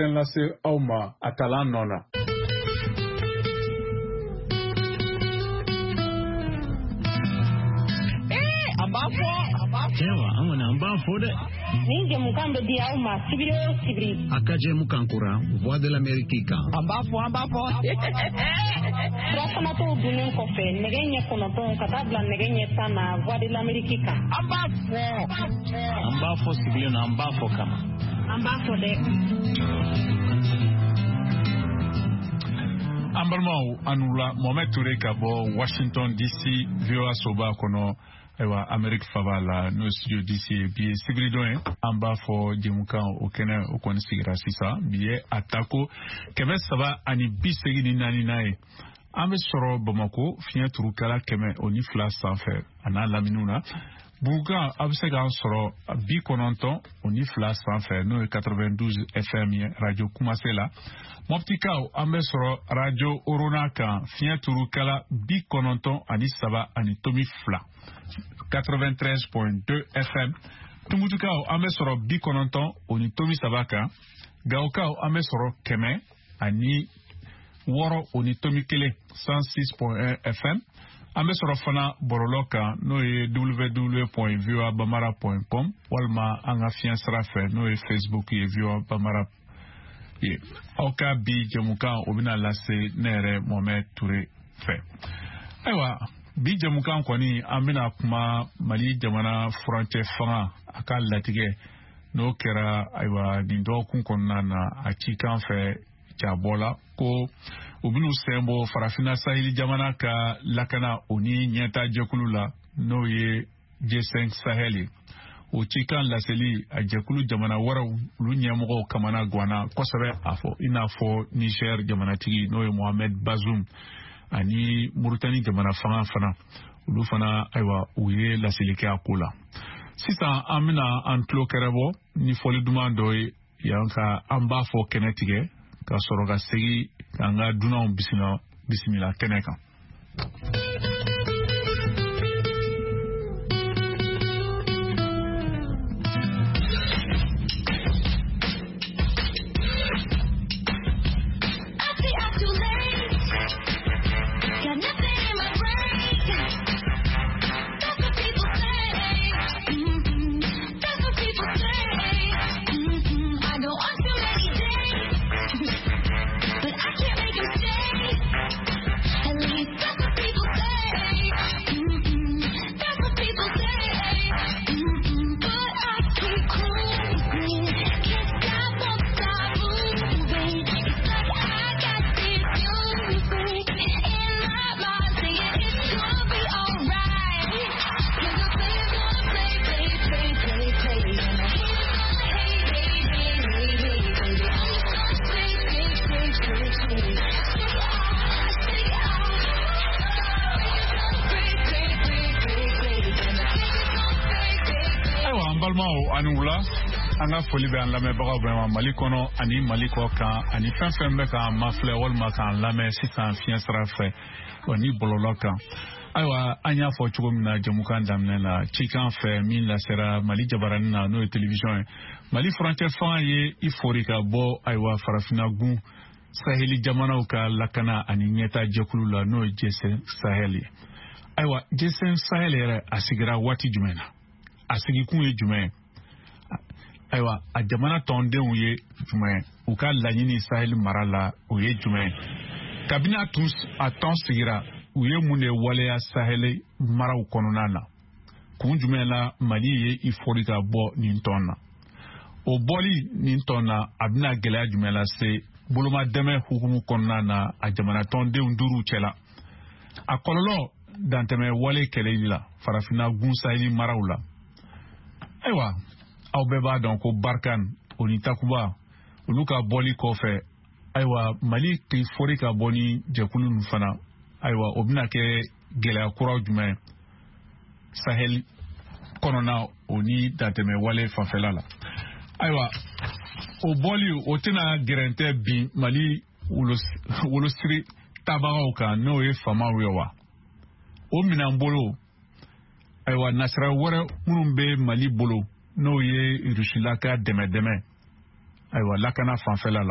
Lase aw ma a talan nɔ na. An b'a fɔ, an b'a fɔ. Ayiwa, an kɔni an b'a fɔ dɛ. Nin jɛmukan bɛ di aw ma sibiri o sibiri. A ka jɛmukan kura Voix de l'Amérique kan. An b'a fɔ, an b'a fɔ. Surafanatɔw dunnen kɔfɛ nɛgɛ ɲɛ 9 ka taa bila nɛgɛ ɲɛ 10 na Voix de l'Amérique kan. An b'a fɔ. An b'a fɔ sigilen na, an b'a fɔ kama. An b'a fɔ dɛ. An balimaw, an wula. Mohamed Toure ka bɔ Washington DC, VOA soba kɔnɔ, ayiwa, Amerique faba la, n'o ye studio DC ye. Bi ye sibiridon ye, an b'a fɔ jɛmukan o kɛnɛ o kɔni sigira sisan. Bi ye a tako 384nan ye. An bɛ sɔrɔ Bamako fiɲɛ turukala 102 sanfɛ a n'a laminiw na. Bugukan, a bɛ se k'an sɔrɔ 92 sanfɛ, n'o ye 92 FM ye, radio Kumase la. Mɔptikaw, an bɛ sɔrɔ radio Orona kan, fiɲɛ turukala 93.2, 93.2 FM. Tumutukaw, an bɛ sɔrɔ 90.3 kan. Gawokaw, an bɛ sɔrɔ 106.1, 106.1 FM. An bɛ sɔrɔ fana bɔlɔlɔ kan, n'o ye www.voabamara.com, walima an ka fiɲɛ sira fɛ, n'o ye Facebook ye, VOA Bamara ye. Aw ka bi jɛmukan o bɛna lase ne yɛrɛ Mohamed Toure fɛ. Ayiwa, bi jɛmukan kɔni, an bɛna kuma Mali jamana furancɛ fanga a ka latigɛ n'o kɛra, ayiwa, nin dɔgɔkun kɔnɔna na, a cikan fɛ jabɔ la ko u bɛn'u sen bɔ Farafinna saheli jamana ka lakana o ni ɲɛta jɛkulu la, n'o ye G5 Sahel ye. O cikan laseli, a jɛkulu jamana wɛrɛw olu ɲɛmɔgɔw kamana ganna kosɛbɛ, a fɔ i n'a fɔ Niger jamanatigi, n'o ye Mohamed Bazoum, ani Mauritanie jamana fanga fana, olu fana, ayiwa, u ye laseli kɛ a ko la. Sisan an bɛna an tulo kɛrɛbɔ ni fɔli duman dɔ ye yan ka an b'a fɔ kɛnɛ tigɛ, ka sɔrɔ ka segin k'an ka dunanw bisimila bisimila kɛnɛ kan. I see I'm too late. Got nothing in my brain. That's what people say. That's what people say. I go on too many dates, but I can't make them stay. At least that's what people say. That's what people say. But I keep cruising. Can't stop, won't stop moving. It's like I got this music in my mind saying it's gonna be alright. 'Cause the players gonna play, play, play, play, play. And the haters gonna hate, hate, hate, hate, hate, baby. I'm just gonna shake, shake, shake, shake, shake. Shake ah, shake ah. Break, break, break, break, break. And the haters gonna fake, fake, fake. Ayiwa, an balimaw, ani wula. An ka foli bɛ an lamɛnbagaw bɛɛ ma Mali kɔnɔ ani Mali kɔ kan, ani fɛn fɛn bɛ k'an mafilɛ walima k'an lamɛn sisan fiɲɛ sira fɛ wa ni bɔlɔlɔ kan. Ayiwa, an y'a fɔ cogo min na jɛmukan daminɛ na, cikan fɛ min lasera Mali jabaranin na, n'o ye télévision ye, Mali furancɛ fanga ye i fori ka bɔ, ayiwa, Farafinna gun saheli jamanaw ka lakana ani ɲɛta jɛkulu la, n'o ye G5 Sahel ye. Ayiwa, G5 Sahel yɛrɛ, a sigira waati jumɛn na? A sigikun ye jumɛn ye? Ayiwa, a jamana tɔndenw ye jumɛn ye? U ka laɲini Sahel mara la, o ye jumɛn ye? Kabini a tun a tɔn sigira, u ye mun de waleya Sahel maraw kɔnɔna na? Kun jumɛn la Mali ye i fori ka bɔ nin tɔn na? O bɔli nin tɔn na, a bɛna gɛlɛya jumɛn lase boloma dɛmɛ hukumu kɔnɔna na a jamana tɔndenw duuru cɛla? A kɔlɔlɔ dantɛmɛ wale kɛlɛli la Farafinna gun saheli maraw la. Ayiwa, aw bɛɛ b'a dɔn ko Barkhane o ni Takuba olu ka bɔli kɔfɛ, ayiwa, Mali k'i fori ka bɔ ni jɛkulu ninnu fana, ayiwa, o bɛna kɛ gɛlɛya kuraw jumɛn ye Sahel kɔnɔna o ni dantɛmɛ wale fanfɛla la? Ayiwa, o bɔli o tɛna gɛrɛntɛ bin Mali wolosiri tabagaw kan, n'o ye faamaw ye wa? O minɛn bolo, ayiwa, nasira wɛrɛ minnu bɛ Mali bolo, n'o ye Rusila ka dɛmɛ dɛmɛ, Ayiwa, lakana fanfɛla la.